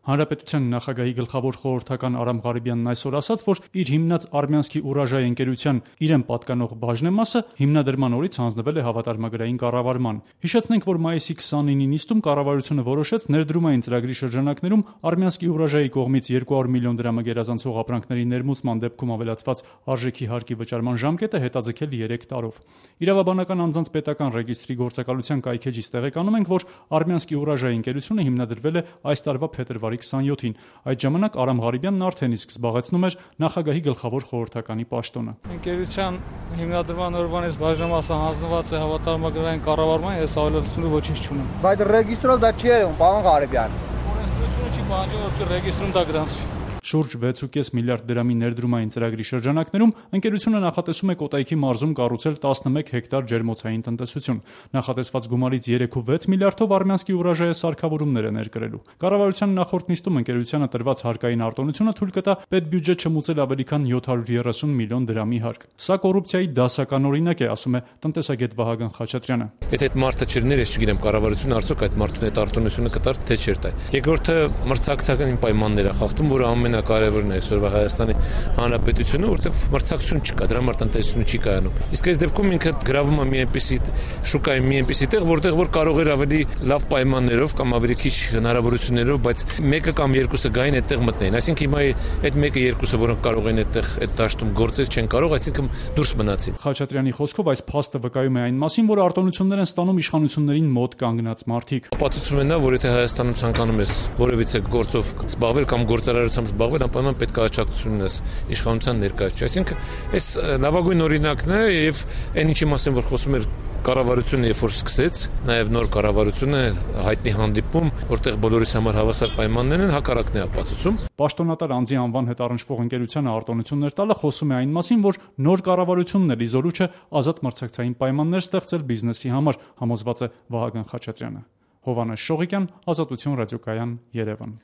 Հանրապետության նախագահի գլխավոր խորհրդական Արամ Ղարիբյանն այսօր ասաց, որ իր հիմնած Արմյանսկի Ուրաժայ ընկերության իրեն պատկանող բաժնեմասը հիմնադրման օրից հանձնվել է հավատարմագրային կառավարման։ Հիշեցնենք, որ մայիսի 29-ի նիստում կառավարությունը որոշեց ներդրումային ծրագրի շրջանակներում Արմյանսկի Ուրաժայի կողմից 200 միլիոն դրամը գերազանցող ապրանքների ներմուծման դեպքում ավելացված արժեքի հարկի վճարման ժամկետը հետաձգել 3 տարով։ Իրավաբանական անձանց պետական ռեգիստրի գործակալության կայքեջից տեղեկանում ենք, որ Արմյանսկի Ուրաժայ ընկերությունը հիմնադրվել է այս տարվա փետրվարի 27-ին։ Այդ ժամանակ Արամ Ղարիբյանն արդեն իսկ զբաղեցնում էր նախագահի գլխավոր խորհրդականի պաշտոնը։ Ընկերության հիմնադրման օրվանից բաժնեմասը հանձնված է հավատարմագրային կառավարման, ես ավելացնելու ոչինչ չունեմ։ Բայց ռեգիստրով դա չի երևում, պարոն Ղարիբյան։ Օրենսդրությունը չի պահանջում, որ ռեգիստրում դա գրանցվի։ Շուրջ 6.5 միլիարդ դրամի ներդրումային ծրագրի շրջանակներում ընկերությունը նախատեսում է Կոտայքի մարզում կառուցել 11 հեկտար ջերմոցային տնտեսություն։ Նախատեսված գումարից 3.6 միլիարդով Արմյանսկի Ուրաժայը սարքավորումներ է ներկրելու։ Կառավարության նախորդ նիստում ընկերությանը տրված հարկային արտոնությունը թույլ կտա պետբյուջետ չմուծել ավելի քան 730 միլիոն դրամի հարկ։ Սա կոռուպցիայի դասական օրինակ է, ասում է տնտեսագետ Վահագն Խաչատրյանը։ Եթե այդ մարդը չլիներ, ես չգիտեմ կառավարությունը արդյոք այդ մարդուն այդ արտոնությունը կտար, թե չէր տա։ Երկրորդը մրցակցական պայմաններ է խախտում, որը ամենակարևորն է այսօրվա Հայաստանի Հանրապետությունը, որտեղ մրցակցություն չկա, դրա համար տնտեսությունը չի կայանում։ Իսկ այս դեպքում ինքը գրավում է մի այնպիսի շուկայի մի այնպիսի տեղ, որտեղ որ կարող էր ավելի լավ պայմաններով կամ ավելի քիչ հնարավորություններով, բայց մեկը կամ երկուսը գային այդտեղ մտնեին։ Այսինքն հիմա այդ մեկը երկուսը, որոնք կարող են այդտեղ այդ դաշտում գործել, չեն կարող, այսինքն դուրս մնացին։ Խաչատրյանի խոսքով այս փաստը վկայում է այն մասին, որ արտոնություններ են ստանում իշխանություններին մոտ կանգնած մարդիկ։ Ապացուցում է նա, որ եթե Հայաստանում ցանկանում ես որևիցե գործով զբաղվել կամ գործարարությամբ զբաղվել, անպայման պետք է աջակցություն ունես իշխանության ներկայացուցիչ։ Այսինքն այս լավագույն օրինակն է եւ այն ինչի մասին որ խոսում էր կառավարությունը երբ որ սկսեց, նաև նոր կառավարությունը հայտնի հանդիպում, որտեղ բոլորիս համար հավասար պայմաններ են, հակառակն է ապացուցում։ Պաշտոնատար անձի անվան հետ առնչվող ընկերությանը արտոնություններ տալը խոսում է այն մասին, որ նոր կառավարությունն էլ իզորու չէ ազատ մրցակցային պայմաններ ստեղծել բիզնեսի համար, համոզված է Վահագն Խաչատրյանը։ Հովհաննես Շողիկյան, Ազատություն ռադիոկայան, Երևան։